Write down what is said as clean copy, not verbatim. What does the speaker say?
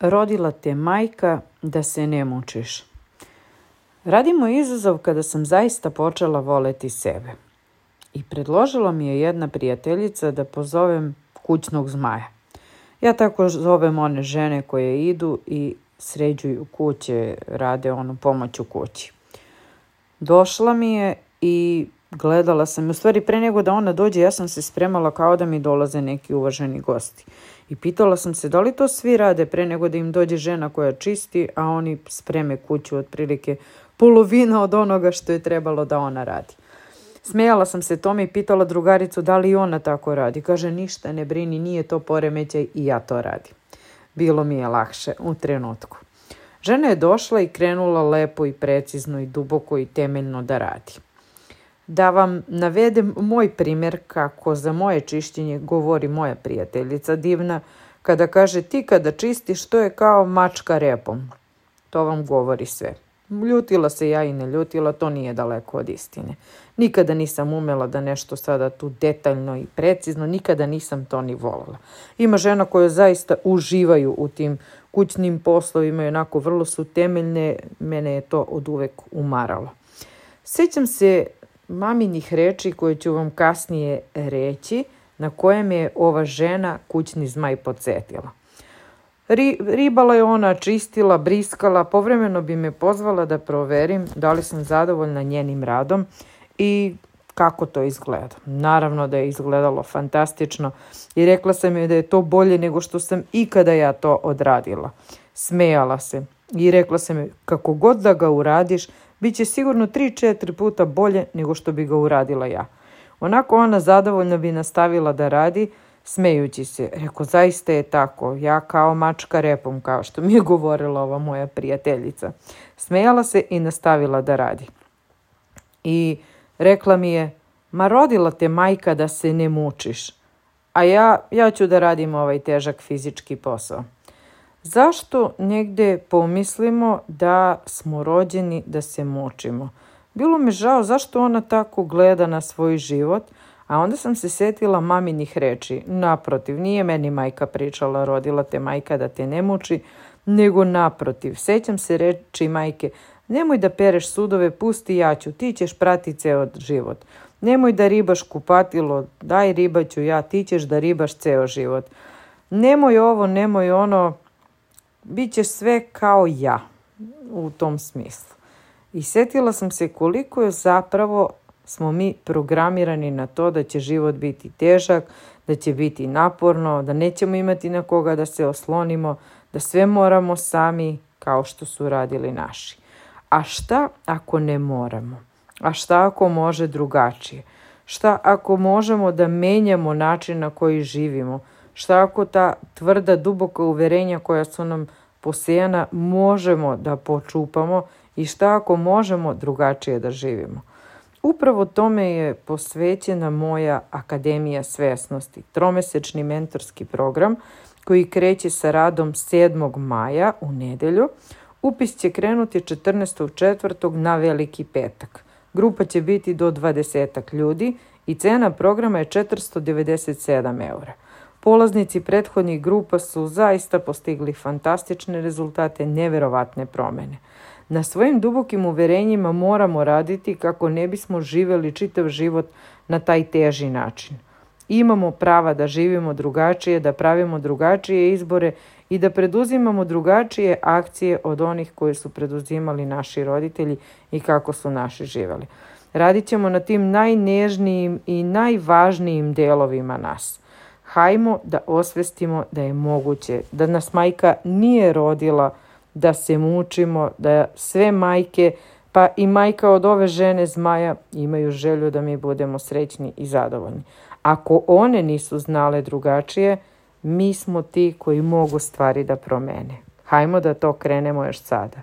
Rodila te majka da se ne mučiš. Radimo izazov kada sam zaista počela voleti sebe. I predložila mi je jedna prijateljica da pozovem kućnog zmaja. Ja tako zovem one žene koje idu i sređuju kuće, rade pomoć u kući. Došla mi je i gledala sam. U stvari, pre nego da ona dođe, ja sam se spremala kao da mi dolaze neki uvaženi gosti. I pitala sam se da li to svi rade pre nego da im dođe žena koja čisti, a oni spreme kuću otprilike polovina od onoga što je trebalo da ona radi. Smejala sam se tome i pitala drugaricu da li i ona tako radi. Kaže, ništa ne brini, nije to poremećaj i ja to radim. Bilo mi je lakše u trenutku. Žena je došla i krenula lepo i precizno i duboko i temeljno da radi. Da vam navedem moj primjer kako za moje čišćenje govori moja prijateljica divna, kada kaže ti kada čistiš to je kao mačka repom. To vam govori sve. Ljutila se ja i ne ljutila, to nije daleko od istine. Nikada nisam umela da nešto sada tu detaljno i precizno, nikada nisam to ni volala. Ima žena koje zaista uživaju u tim kućnim poslovima i onako vrlo su temeljne, mene je to od uvek umaralo. Sjećam se maminih reči koje ću vam kasnije reći, na koje me je ova žena kućni zmaj podsjetila. Ribala je ona, čistila, briskala, povremeno bi me pozvala da proverim da li sam zadovoljna njenim radom i kako to izgleda. Naravno da je izgledalo fantastično i rekla sam joj da je to bolje nego što sam ikada ja to odradila. Smejala se i rekla sam joj kako god da ga uradiš, bit će sigurno 3-4 puta bolje nego što bi ga uradila ja. Onako ona zadovoljno bi nastavila da radi, smejući se. Rekao, zaista je tako, ja kao mačka repom, kao što mi je govorila ova moja prijateljica. Smejala se i nastavila da radi. I rekla mi je, ma rodila te majka da se ne mučiš, a ja ću da radim ovaj težak fizički posao. Zašto negde pomislimo da smo rođeni da se mučimo? Bilo me žao zašto ona tako gleda na svoj život, a onda sam se setila maminih reči. Naprotiv, nije meni majka pričala rodila te majka da te ne muči, nego naprotiv. Sećam se reči majke, nemoj da pereš sudove, pusti ja ću, ti ćeš prati ceo život. Nemoj da ribaš kupatilo, daj ribaću ja, ti ćeš da ribaš ceo život. Nemoj ovo, nemoj ono, bit ćeš sve kao ja u tom smislu. I setila sam se koliko je zapravo smo mi programirani na to da će život biti težak, da će biti naporno, da nećemo imati na koga da se oslonimo, da sve moramo sami kao što su radili naši. A šta ako ne moramo? A šta ako može drugačije? Šta ako možemo da menjamo način na koji živimo? Šta ako ta tvrda, duboka uverenja koja su nam posejana možemo da počupamo i šta ako možemo drugačije da živimo? Upravo tome je posvećena moja Akademija svesnosti, tromesečni mentorski program koji kreće sa radom 7. maja u nedelju. Upis će krenuti 14.4. na Veliki petak. Grupa će biti do 20 ljudi i cena programa je 497 eura. Polaznici prethodnih grupa su zaista postigli fantastične rezultate, neverovatne promene. Na svojim dubokim uverenjima moramo raditi kako ne bismo živjeli čitav život na taj teži način. Imamo prava da živimo drugačije, da pravimo drugačije izbore i da preduzimamo drugačije akcije od onih koje su preduzimali naši roditelji i kako su naši živjeli. Radit ćemo na tim najnežnijim i najvažnijim delovima nas. Hajmo da osvestimo da je moguće, da nas majka nije rodila da se mučimo, da sve majke, pa i majka od ove žene zmaja, imaju želju da mi budemo srećni i zadovoljni. Ako one nisu znale drugačije, mi smo ti koji mogu stvari da promene. Hajmo da to krenemo još sada.